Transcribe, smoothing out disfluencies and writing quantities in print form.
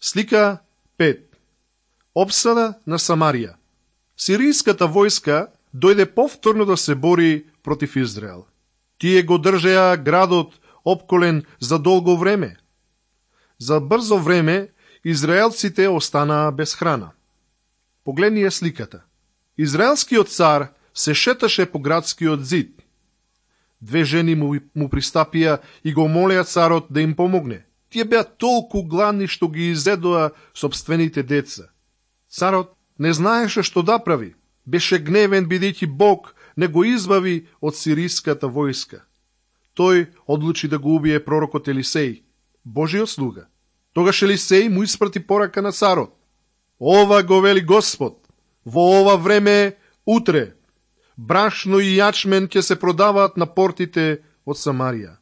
Слика 5. Опсада на Самарија. Сиријската војска дојде повторно да се бори против Израел. Тие го држеа градот опколен за долго време. За брзо време израелците останаа без храна. Погледние сликата. Израелскиот цар се шеташе по градскиот зид. Две жени му пристапија и го молеа царот да им помогне. Тие беа толку гладни што ги изедоа собствените деца. Царот не знаеше што да прави. Беше гневен бидејќи Бог не го избави од сиријската војска. Тој одлучи да го убие пророкот Елисеј, Божиот слуга. Тогаш Елисеј му испрати порака на царот. Ова го вели Господ, во ова време утре брашно и јачмен ќе се продаваат на портите од Самарија.